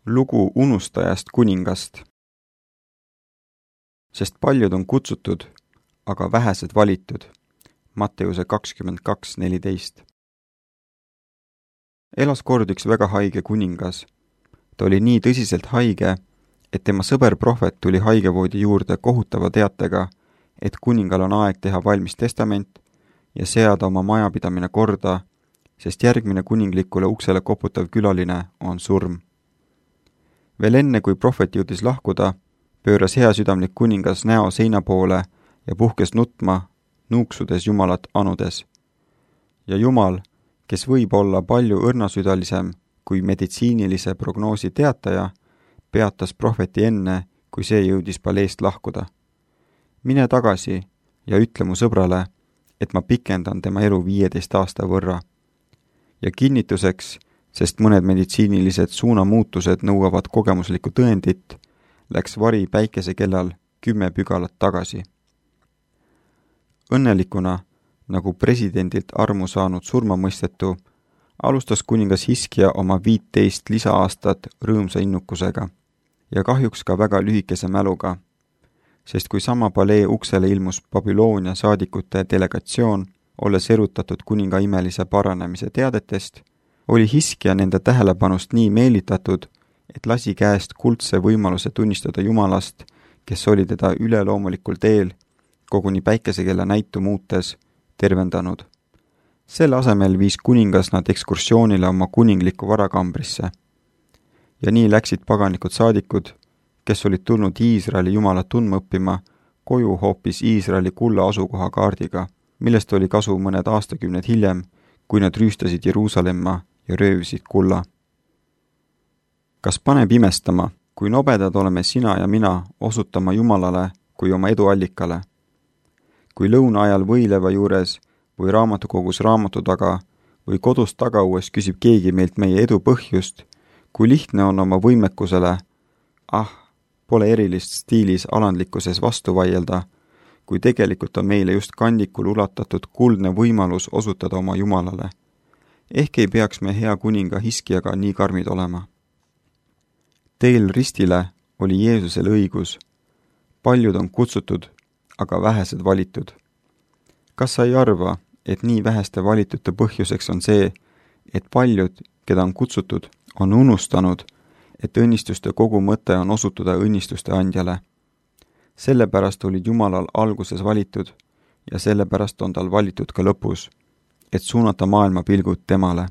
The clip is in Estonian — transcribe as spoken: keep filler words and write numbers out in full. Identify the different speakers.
Speaker 1: Lugu unustajast kuningast. Sest paljud on kutsutud, aga vähesed valitud. Matteuse kakskümmend kaks neliteist. Elas kord üks väga haige kuningas. Ta oli nii tõsiselt haige, et tema sõber prohvet tuli haigevoodi juurde kohutava teatega, et kuningal on aeg teha valmis testament ja seada oma majapidamine korda, sest järgmine kuninglikule uksele koputav külaline on surm. Veel enne, kui prohvet jõudis lahkuda, pööras heasüdamlik kuningas näo seina poole ja puhkes nutma, nuuksudes Jumalat anudes. Ja Jumal, kes võib olla palju õrnasüdalisem kui meditsiinilise prognoosi teataja, peatas prohveti enne, kui see jõudis paleest lahkuda. Mine tagasi ja ütle mu sõbrale, et ma pikendan tema elu viieteist aasta võrra. Ja kinnituseks, sest mõned meditsiinilised suunamuutused nõuavad kogemuslikku tõendit, läks vari päikese kellal kümme pügalat tagasi. Õnnelikuna, nagu presidendilt armu saanud surmamõistetu, alustas kuningas Hiskia oma viiteist lisaaastat rõõmsa innukusega ja kahjuks ka väga lühikese mäluga, sest kui sama palee uksele ilmus Babyloonia saadikute delegatsioon, olles erutatud kuninga imelise paranemise teadetest, oli Hiskia nende tähelepanust nii meelitatud, et lasi käest kuldse võimaluse tunnistada Jumalast, kes oli teda üleloomulikul teel, koguni päikesekella näitu muutes, tervendanud. Selle asemel viis kuningas nad ekskursioonile oma kuninglikku varakambrisse. Ja nii läksid paganlikud saadikud, kes olid tulnud Iisraeli Jumalat tundma õppima, koju hoopis Iisraeli kulla asukoha kaardiga, millest oli kasu mõned aastakümned hiljem, kui nad rüüstasid Jeruusalemma ja röövisid kulla. Kas paneb imestama, kui nobedad oleme sina ja mina osutama Jumalale kui oma eduallikale? Kui lõuna ajal võileva juures või raamatukogus raamatu taga või kodus tagaues küsib keegi meilt meie edu põhjust, kui lihtne on oma võimekusele, ah, pole erilist stiilis alandlikkuses vastu vaielda, kui tegelikult on meile just kandikul ulatatud kuldne võimalus osutada oma Jumalale. Ehk ei peaks me hea kuninga Hiskiaga nii karmid olema. Teel ristile oli Jeesusel õigus. Paljud on kutsutud, aga vähesed valitud. Kas sa ei arva, et nii väheste valitute põhjuseks on see, et paljud, keda on kutsutud, on unustanud, et õnnistuste kogu mõte on osutuda õnnistuste andjale. Sellepärast olid Jumalal alguses valitud ja sellepärast on tal valitud ka lõpus, et suunata maailma pilgud temale.